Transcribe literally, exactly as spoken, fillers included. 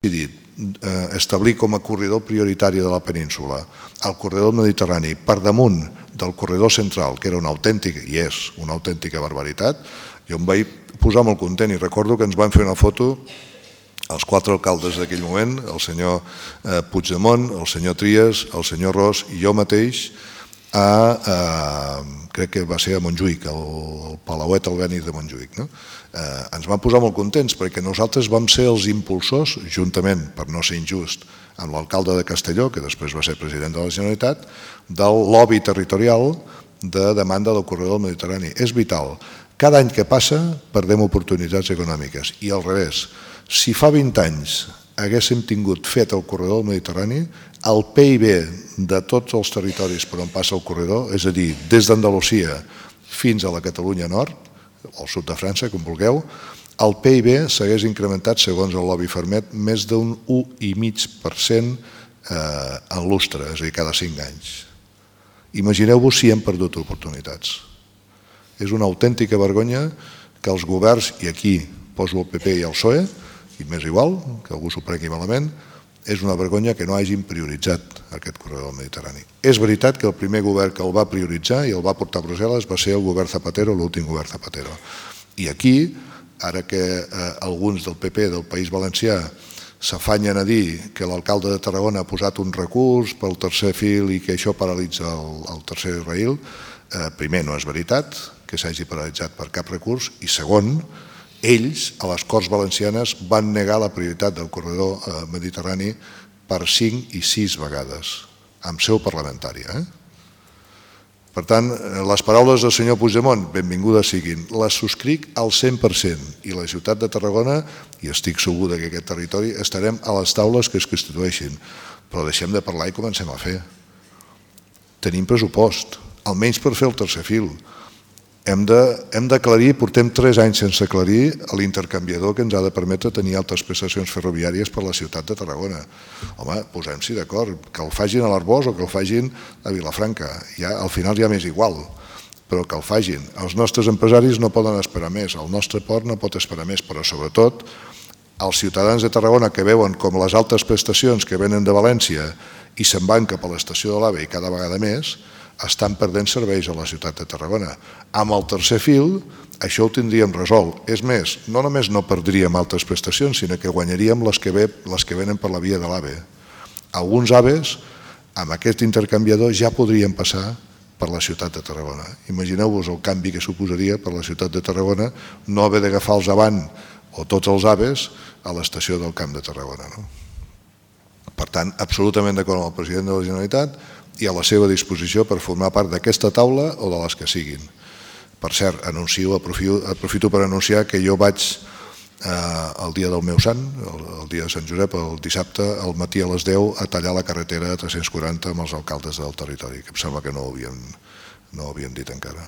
decidit establir com a corredor prioritari de la península el corredor mediterrani per damunt del corredor central, que era una autèntica, i és una autèntica barbaritat, jo em vaig posar molt content i recordo que ens van fer una foto els quatre alcaldes d'aquell moment, el senyor Puigdemont, el senyor Trias, el senyor Ros i jo mateix, a, a, crec que va ser a Montjuïc, el Palauet Albéniz de Montjuïc. No? Eh, ens van posar molt contents perquè nosaltres vam ser els impulsors, juntament, per no ser injust, amb l'alcalde de Castelló, que després va ser president de la Generalitat, del lobby territorial de demanda del corredor del Mediterrani. És vital. Cada any que passa perdem oportunitats econòmiques i al revés. Si fa vint anys haguéssim tingut fet el corredor del Mediterrani, el P I B de tots els territoris per on passa el corredor, és a dir, des d'Andalusia fins a la Catalunya Nord, o al sud de França, com vulgueu, el P I B s'hagués incrementat, segons el lobby Fermet, més d'un u coma cinc per cent en lustre, és a dir, cada cinc anys. Imagineu-vos si hem perdut oportunitats. És una autèntica vergonya que els governs, i aquí poso el P P i el P S O E, i m'és igual, que algú s'ho prengui malament, és una vergonya que no hagin prioritzat aquest corredor del Mediterrani. És veritat que el primer govern que el va prioritzar i el va portar a Brussel·les va ser el govern Zapatero, l'últim govern Zapatero. I aquí, ara que alguns del P P del País Valencià s'afanyen a dir que l'alcalde de Tarragona ha posat un recurs pel tercer fil i que això paralitza el tercer rail, primer, no és veritat que s'hagi paralitzat per cap recurs, i segon, ells, a les Corts Valencianes, van negar la prioritat del corredor mediterrani per cinc i sis vegades, amb seu parlamentària. Per tant, les paraules del senyor Puigdemont, benvingudes siguin, les subscric al cent per cent, i la ciutat de Tarragona, i estic segur que aquest territori, estarem a les taules que es constitueixin, però deixem de parlar i comencem a fer. Tenim pressupost, almenys per fer el tercer fil. Hem d'aclarir, portem tres anys sense aclarir l'intercanviador que ens ha de permetre tenir altes prestacions ferroviàries per la ciutat de Tarragona. Home, posem-s'hi d'acord, que el facin a l'Arboç o que el facin a Vilafranca. Al final ja m'és igual, però que el facin. Els nostres empresaris no poden esperar més, el nostre port no pot esperar més, però sobretot els ciutadans de Tarragona que veuen com les altes prestacions que venen de València i se'n van cap a l'estació de l'AVE i cada vegada més, estan perdent serveis a la ciutat de Tarragona. Amb el tercer fil, això ho tindríem resolt. És més, no només no perdríem altres prestacions, sinó que guanyaríem les que venen per la via de l'AVE. Alguns AVEs, amb aquest intercanviador, ja podrien passar per la ciutat de Tarragona. Imagineu-vos el canvi que suposaria per la ciutat de Tarragona no haver d'agafar els Avant o tots els AVEs a l'estació del Camp de Tarragona. Per tant, absolutament d'acord amb el president de la Generalitat i a la seva disposició per formar part d'aquesta taula o de les que siguin. Per cert, anuncio, aprofito per anunciar que jo vaig el dia del meu sant, el dia de Sant Josep, el dissabte, al matí a les deu, a tallar la carretera a tres-cents quaranta amb els alcaldes del territori, que em sembla que no ho havien dit encara.